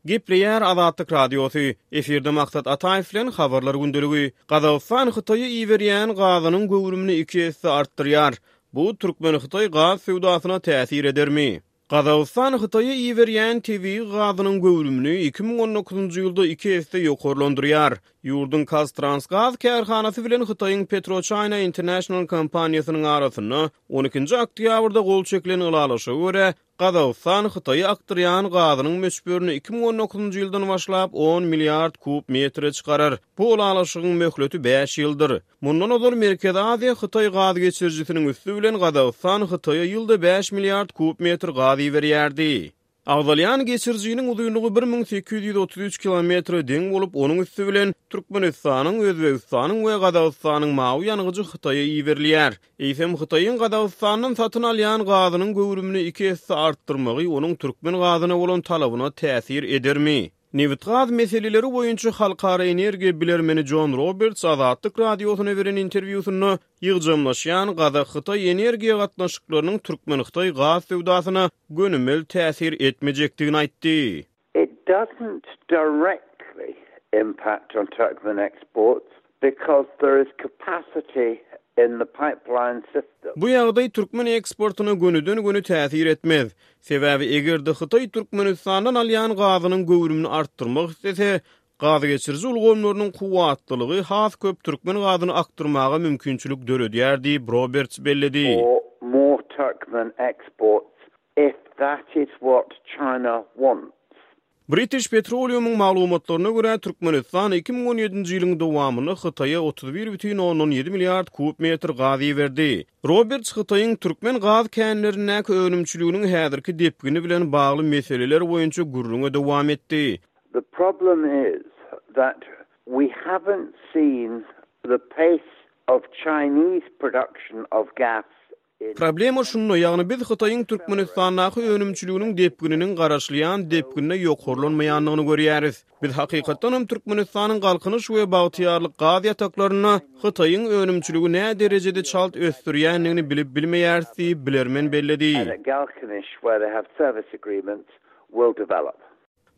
Gepleýär Azatlyk Radiosy, efirde Maksat Ataýew bilen Habarlar gündeligi. Gazagystan Hytaýa iberýän gazynyň göwrümini iki esse artdyrýar. Bu türkmen-hytaý gaz söwdasyna täsir edermi? Gazagystan Hytaýa iberýän tebigy gazynyň göwrümini 2019-njy ýylda iki esse ýokarlandyrýar. Ýurduň KazTransGaz kärhanasy bilen Hytaýyň PetroChina International kompaniýasynyň arasynda on ikinji oktýabrda gol çekilen ylalaşyga görä, Gazagystan Hytaýa akdyrýan gazynyň möçberini 2019-njy ýyldan başlap on milliard kub metre çykarar. Bu ylalaşygyň möhleti bäş ýyldyr. Mundan ozal Merkezi Aziýa, Hytaý gaz geçirijisiniň üsti bilen Gazagystan Hytaýa ýylda bäş milliard kub metr gaz iberýärdi. Agzalýan geçirijiniň uzynlygy 1833 kilometre deň bolup, onuň üsti bilen Türkmenistanyň, Özbegistanyň we Gazagystanyň mawy ýangyjy Hytaýa iberilýär. Eýsem, Hytaýyň Gazagystandan satyn alýan gazynyň göwrümini iki esse artdyrmagy onuň türkmen gazyna bolan talabyna täsir edermi? Nebitgaz meseleleri boýunça halkara energiýa bilermeni Jon Roberts Azatlyk Radiosyna beren interwýusynda ýygjamlaşýan gazak-hytaý energiýa gatnaşyklarynyň türkmen-hytaý gaz söwdasyna gönümel täsir etmejekdigini aýtdy. It doesn't directly impact on Turkmen exports because there is capacity in the pipeline system. Bu ýagdaý türkmen eksportyna gönüden-göni täsir etmez. Sebäbi eger-de Hytaý Türkmenistandan alýan gazynyň göwrümini artdyrmak islese, gazgeçiriji ulgamlarynyň kuwwatlylygy has köp türkmen gazyny akdyrmaga mümkinçilik döredýär diýip, Roberts belledi. For more Turkmen exports if that is what China wants. British Petroleum-yň maglumatlaryna görä, Türkmenistan 2017-nji ýylyň dowamynda Hytaýa 31,7 milliard kub metr gaz iberdi. Roberts Hytaýyň türkmen gaz känlerindäki önümçiliginiň häzirki depgini bilen bagly meseleler boýunça gürrüňe dowam etdi. The problem is that we haven't seen the pace of Chinese production of gas Problema şunda, ýagny biz Hytaýyň Türkmenistandaky önümçiliginiň depgininiň garaşylýan depginde ýokarlanmaýandygyny görýäris. Biz hakykatdanam Türkmenistanyň Galkynyş we Bagtyýarlyk gaz ýataklarynda Hytaýyň önümçiligi näderejede çalt ösdürýändigini bilip bilmeýäris diýip, bilermen belledi.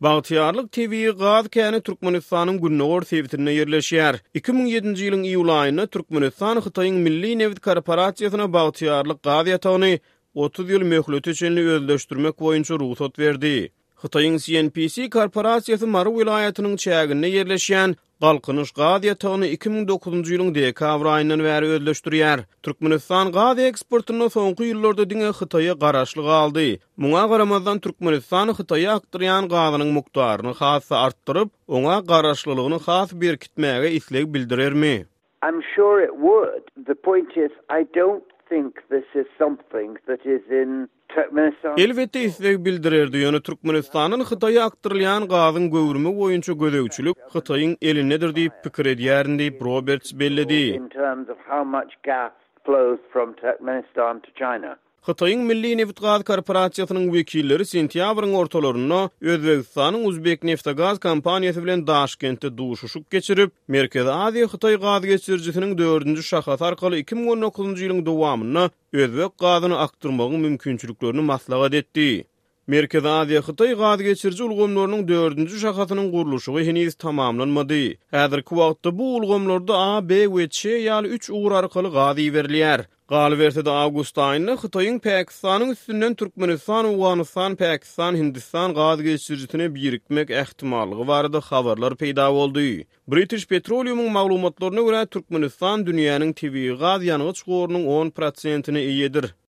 Bagtyýarlyk tebigy gaz käni Türkmenistanyň gündogar sebitinde ýerleşýär. 2007-nji ýylyň iýul aýynda Türkmenistan Hytaýyň Milli nebit korporasiýasyna Bagtyýarlyk gaz ýatagyny 30 ýyl möhlete çenli özleşdirmek boýunça rugsat berdi. Hytaýyň CNPC korporasiýasy Mary welaýatynyň çäginde ýerleşýän Galkynyş gaz ýatagyny 2009-njy ýylyň dekabr aýyndan bäri özleşdirýär. Türkmenistan gaz eksportynda soňky ýyllarda diňe Hytaýa garaşly galdy. Muňa garamazdan, Türkmenistan Hytaýa akdyrýan gazynyň mukdaryny has-da artdyryp, oňa garaşlylygyny has berkitmäge isleg bildirermi? I'm sure it would. The point is I don't think this is something that is in Turkmenistan's Elbetde isleg bildirerdi, ýöne Türkmenistandan Hytaýa akdyrylýan gazyň göwrümi boýunça gözegçilik Hytaýyň elindedir diýip pikir edýärin diýip, Roberts belledi. in terms of how much gas flows from Turkmenistan to China. Hytaýyň Milli nebitgaz korporasiýasynyň wekilleri sentýabryň ortalarynda Özbegistanyň Uzbekneftegaz kompaniýasy bilen Daşkentde duşuşyk geçirip, Merkezi Aziýa-Hytaý gaz geçirijisiniň dördünji şahasy arkaly 2019-njy ýylyň dowamynda özbek gazyny akdyrmagyň mümkinçiliklerini maslahat etdi. Merkezi Aziýa-Hytaý gaz geçiriji ulgamlarynyň dördünji şahasynyň gurluşygy heniz tamamlanmady. Häzirki wagtda bu ulgamlarda A, B we Ç ýaly üç ugur arkaly gaz iberilýär. Galyberse-de, awgust aýynda Hytaýyň Pakistanyň üstünden Türkmenistan-Owganystan-Pakistan-Hindistan gaz geçirijisine birikmek ähtimallygy barada habarlar peýda boldy. British Petroleum-yň maglumatlaryna görä, Türkmenistan dünýäniň tebigy gaz ýangyç gorunyň on prosentine eýedir.